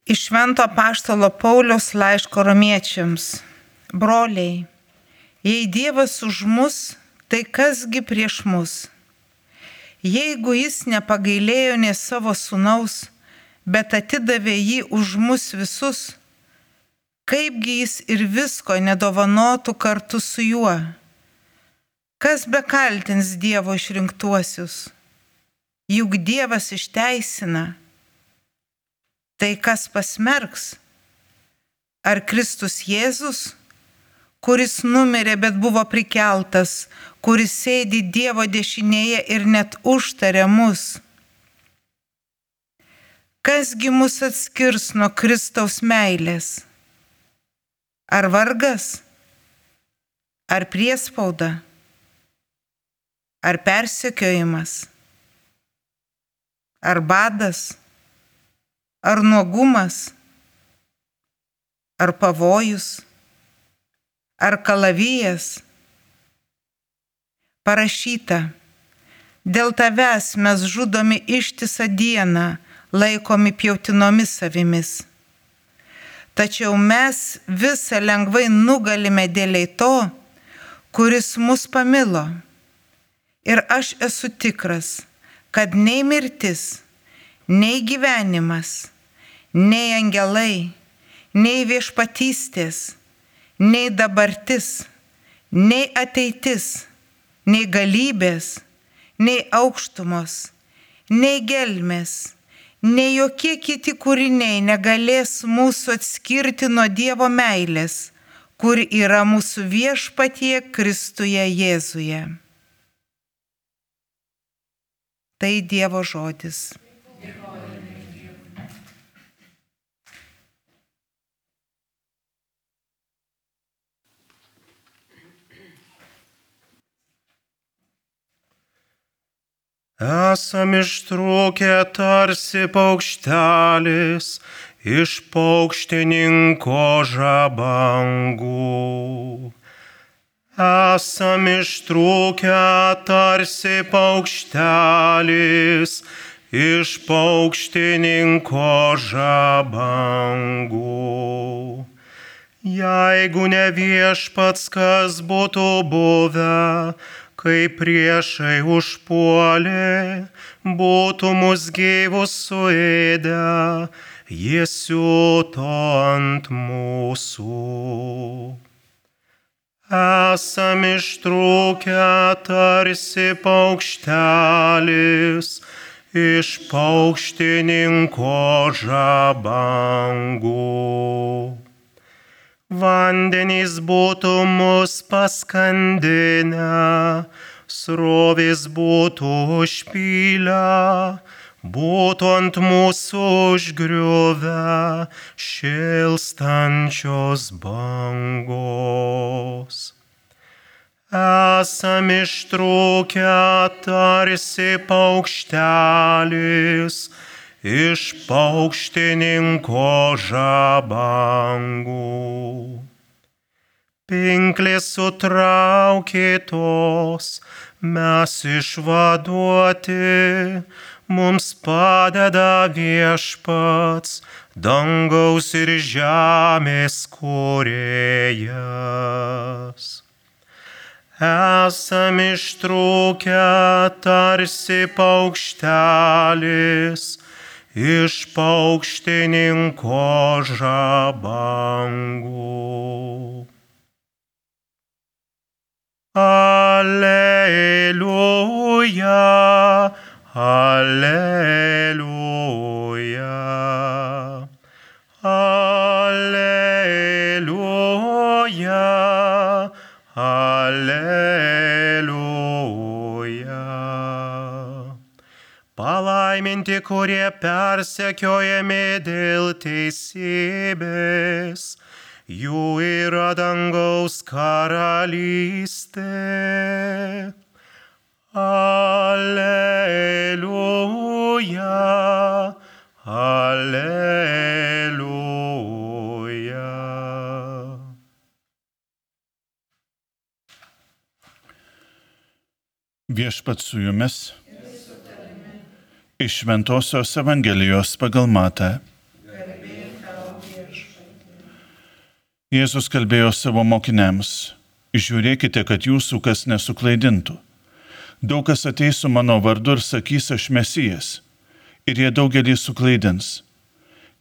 Iš Švento apaštalo Pauliaus laiško romiečiams. Broliai, jei Dievas už mus, tai kasgi prieš mus? Jeigu jis nepagailėjo nė savo sūnaus, bet atidavė jį už mus visus, kaipgi jis ir visko nedovanotų kartu su juo? Kas bekaltins Dievo išrinktuosius? Juk Dievas išteisina. Tai kas pasmerks? Ar Kristus Jėzus, kuris numirė, bet buvo prikeltas, kuris sėdi Dievo dešinėje ir net užtarė mus? Kasgi mus atskirs nuo Kristaus meilės? Ar vargas? Ar priespauda? Ar persekiojimas? Ar badas? Ar nuogumas? Ar pavojus? Ar kalavijas? Parašyta, dėl tavęs mes žudomi ištisą dieną, laikomi pjautinomis avimis. Tačiau mes visą lengvai nugalime dėliai to, kuris mus pamilo. Ir aš esu tikras, kad nei mirtis, nei gyvenimas, nei angelai, nei viešpatystės, nei dabartis, nei ateitis, nei galybės, nei aukštumos, nei gelmės, nei jokie kiti kūriniai negalės mūsų atskirti nuo Dievo meilės, kur yra mūsų viešpatie Kristuje Jėzuje. Tai Dievo žodis. Esam ištrūkę tarsi paukštelis iš paukštininko žabangų. Esam ištrūkę tarsi paukštelis iš paukštininko žabangų. Jeigu ne viešpats, kas būtų buvę, kai priešai užpuolė, būtų mus gyvus suėdę, jie siuto ant mūsų. Esam ištrūkę tarsi paukštelis iš paukštininko žabangų. Vandenys būtų mus paskandinę, srovės būtų užpylę, būtų ant mūsų užgriuvę šėlstančios bangos. Esam ištrūkę tarsi paukštelis iš paukštininko žabangų. Pinklės sutraukytos, mes išvaduoti, mums padeda viešpats, dangaus ir žemės kūrėjas. Esam ištrūkę tarsi paukštelis iš paukštininko žabangų. Alleluja, alleluja, alleluja, alleluja. Palaiminti, kurie persekiojami dėl teisybės, jų yra dangaus karalystė. Alleluja, alleluja. Viešpats su jumis. Iš Šventosios Evangelijos pagal Matą. Jėzus kalbėjo savo mokiniams: žiūrėkite, kad jūsų kas nesuklaidintų. Daug kas ateis su mano vardu ir sakys: aš Mesijas, ir jie daugelį suklaidins.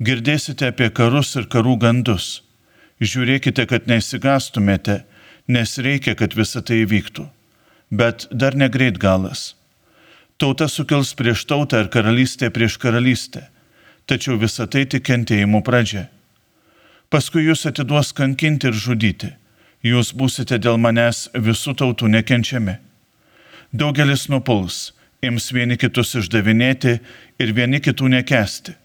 Girdėsite apie karus ir karų gandus. Žiūrėkite, kad neišsigąstumėte, nes reikia, kad visa tai įvyktų. Bet dar negreit galas. Tauta sukils prieš tautą ir karalystė prieš karalystę, tačiau visa tai tik kentėjimų pradžia. Paskui jūs atiduos kankinti ir žudyti. Jūs būsite dėl manęs visų tautų nekenčiami. Daugelis nupuls, ims vieni kitus išdavinėti ir vieni kitų nekęsti.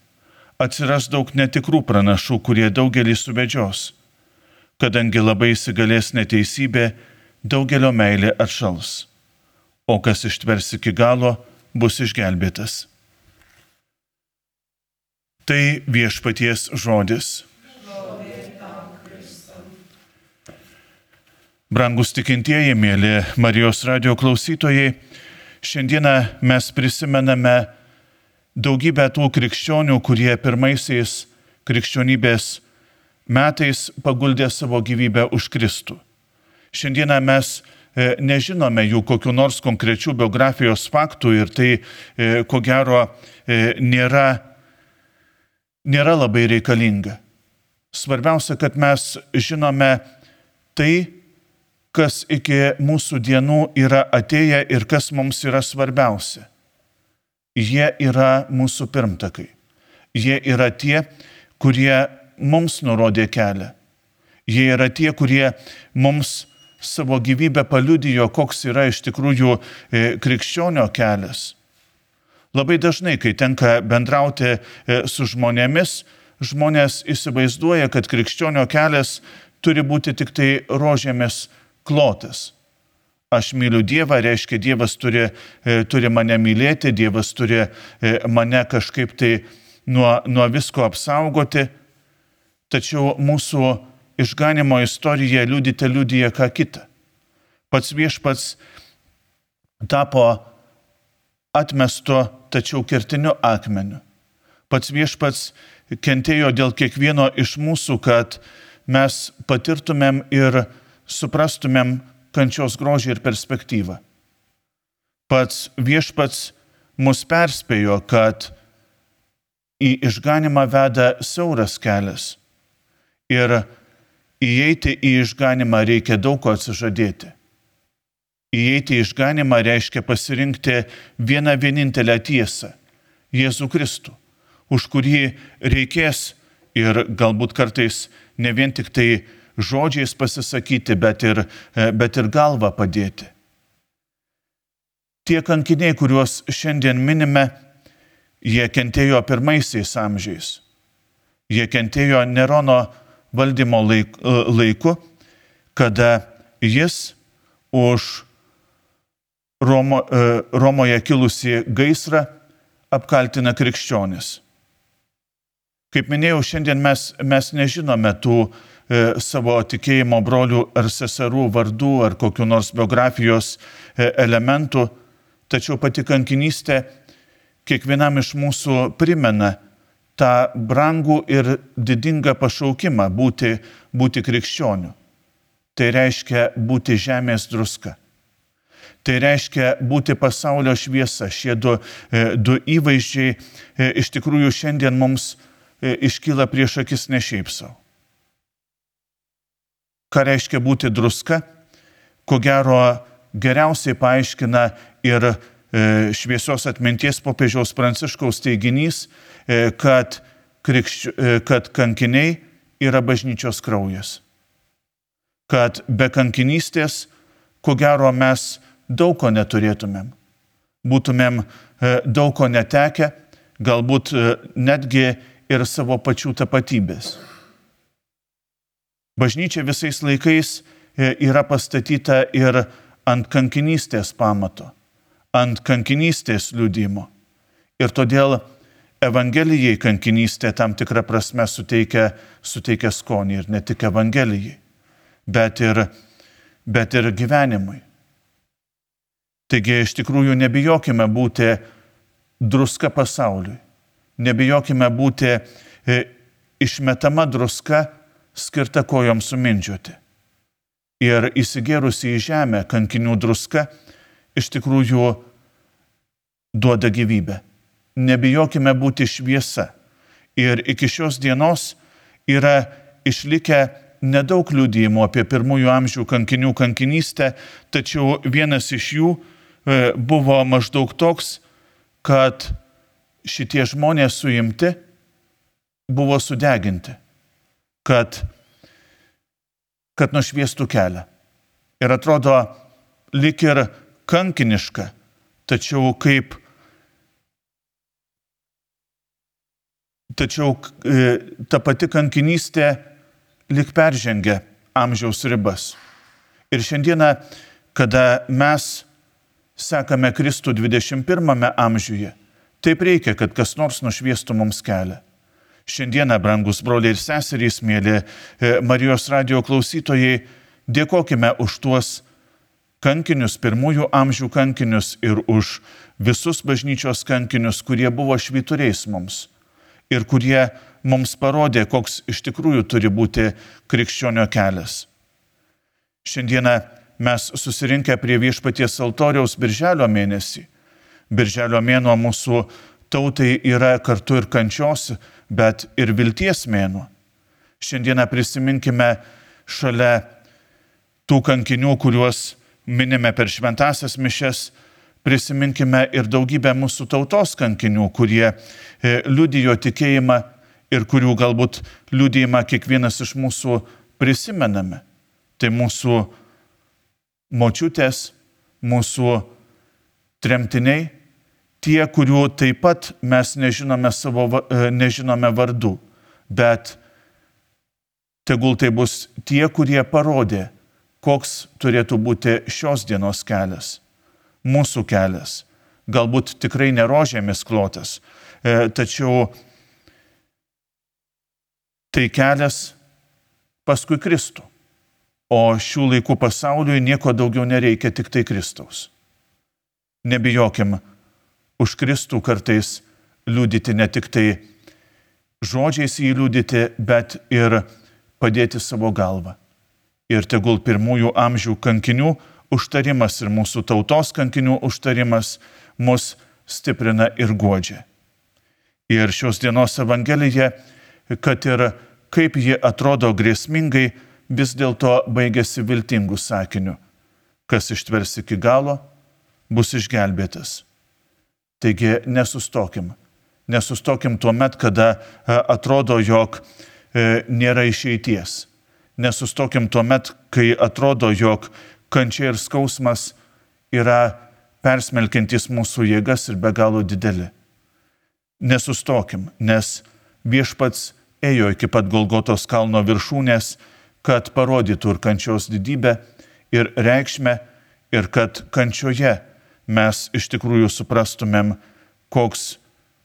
Atsiras daug netikrų pranašų, kurie daugelį suvedžios. Kadangi labai įsigalės neteisybė, daugelio meilė atšals. O kas ištvers iki galo, bus išgelbėtas. Tai viešpaties žodis. Brangus tikintieji, mėly Marijos radijo klausytojai, šiandieną mes prisimename daugybę tų krikščionių, kurie pirmaisiais krikščionybės metais paguldė savo gyvybę už Kristų. Šiandieną mes nežinome jų kokių nors konkrečių biografijos faktų ir tai, ko gero, nėra labai reikalinga. Svarbiausia, kad mes žinome tai, kas iki mūsų dienų yra atėję ir kas mums yra svarbiausia. Jie yra mūsų pirmtakai. Jie yra tie, kurie mums nurodė kelią. Jie yra tie, kurie mums savo gyvybę paliudijo, koks yra iš tikrųjų krikščionio kelias. Labai dažnai, kai tenka bendrauti su žmonėmis, žmonės įsivaizduoja, kad krikščionio kelias turi būti tik tai rožėmis klotas. Aš myliu Dievą, reiškia Dievas turi mane mylėti, Dievas turi mane kažkaip tai nuo visko apsaugoti. Tačiau mūsų išganimo istorija liudija ką kitą. Pats viešpats tapo atmesto, tačiau kertiniu akmeniu. Pats viešpats kentėjo dėl kiekvieno iš mūsų, kad mes patirtumėm ir suprastumėm kančios grožį ir perspektyvą. Pats viešpats mus perspėjo, kad į išganimą veda siauras kelias ir įeiti į išganimą reikia daug ko atsižadėti. Įeiti į išganimą reiškia pasirinkti vieną vienintelę tiesą – Jėzų Kristų, už kurį reikės ir galbūt kartais ne vien tik tai žodžiais pasisakyti, bet ir galvą padėti. Tie kankiniai, kuriuos šiandien minime, jie kentėjo pirmaisiais amžiais. Jie kentėjo Nerono valdymo laiku, kada jis už Romoje kilusį gaisrą apkaltina krikščionis. Kaip minėjau, šiandien mes nežinome tų savo tikėjimo brolių ar seserų vardų ar kokių nors biografijos elementų, tačiau pati kankinystė kiekvienam iš mūsų primena tą brangų ir didingą pašaukimą būti krikščioniu. Tai reiškia būti žemės druska. Tai reiškia būti pasaulio šviesa. Šie du įvaizdžiai iš tikrųjų šiandien mums iškyla prieš akis ne šiaip savo. Ką reiškia būti druska, ko gero geriausiai paaiškina ir šviesios atminties popiežiaus Pranciškaus teiginys, kad kankiniai yra bažnyčios kraujas. Kad be kankinystės, ko gero mes daug ko neturėtumėm. Būtumėm daug ko netekę, galbūt netgi ir savo pačių tapatybės. Bažnyčia visais laikais yra pastatyta ir ant kankinystės pamato, ant kankinystės liudijimo. Ir todėl Evangelijai kankinystė tam tikrą prasme suteikia skonį ir ne tik Evangelijai, bet ir gyvenimui. Taigi iš tikrųjų nebijokime būti druska pasauliui, nebijokime būti išmetama druska skirta kojoms sumindžioti. Ir įsigėrusi į žemę kankinių druska iš tikrųjų duoda gyvybę. Nebijokime būti šviesa. Ir iki šios dienos yra išlikę nedaug liudijimų apie pirmųjų amžių kankinių kankinystę, tačiau vienas iš jų buvo maždaug toks, kad šitie žmonės suimti buvo sudeginti, kad nušviestų kelią. Ir atrodo lyg ir kankiniška, tačiau ta pati kankinystė lyg peržengia amžiaus ribas. Ir šiandieną, kada mes sekame Kristų 21 amžiuje, taip reikia, kad kas nors nušviestų mums kelią. Šiandieną, brangus broliai ir seserys, mėly Marijos radijo klausytojai, dėkokime už tuos kankinius, pirmųjų amžių kankinius ir už visus bažnyčios kankinius, kurie buvo švyturiais mums ir kurie mums parodė, koks iš tikrųjų turi būti krikščionio kelias. Šiandieną mes susirinkę prie Viešpaties altoriaus birželio mėnesį. Birželio mėnuo mūsų tautai yra kartu ir kančios, bet ir vilties mėnuo. Šiandieną prisiminkime šalia tų kankinių, kuriuos minime per šventąsias mišias, prisiminkime ir daugybę mūsų tautos kankinių, kurie liudijo tikėjimą ir kurių galbūt liudijimą kiekvienas iš mūsų prisimename. Tai mūsų močiutės, mūsų tremtiniai, tie, kurių taip pat mes nežinome vardų, bet tegul tai bus tie, kurie parodė, koks turėtų būti šios dienos kelias, mūsų kelias. Galbūt tikrai ne rožėmis klotas, tačiau tai kelias paskui Kristų. O šių laikų pasauliui nieko daugiau nereikia, tik tai Kristaus. Nebijokim už Kristų kartais liudyti, ne tik tai žodžiais jį liudyti, bet ir padėti savo galvą. Ir tegul pirmųjų amžių kankinių užtarimas ir mūsų tautos kankinių užtarimas mus stiprina ir guodžia. Ir šios dienos Evangelija, kad ir kaip ji atrodo grėsmingai, vis dėlto baigėsi viltingų sakinių. Kas ištvers iki galo, bus išgelbėtas. Taigi nesustokim. Nesustokim tuo met, kada atrodo, jog nėra išeities. Nesustokim tuo met, kai atrodo, jog kančia ir skausmas yra persmelkiantys mūsų jėgas ir be galo dideli. Nesustokim, nes Viešpats ėjo iki pat Golgotos kalno viršūnės, kad parodytų ir kančios didybę, ir reikšmę, ir kad kančioje mes iš tikrųjų suprastumėm, koks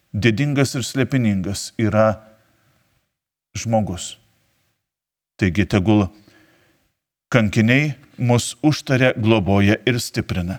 didingas ir slėpiningas yra žmogus. Taigi tegul kankiniai mus užtaria, globoja ir stiprina.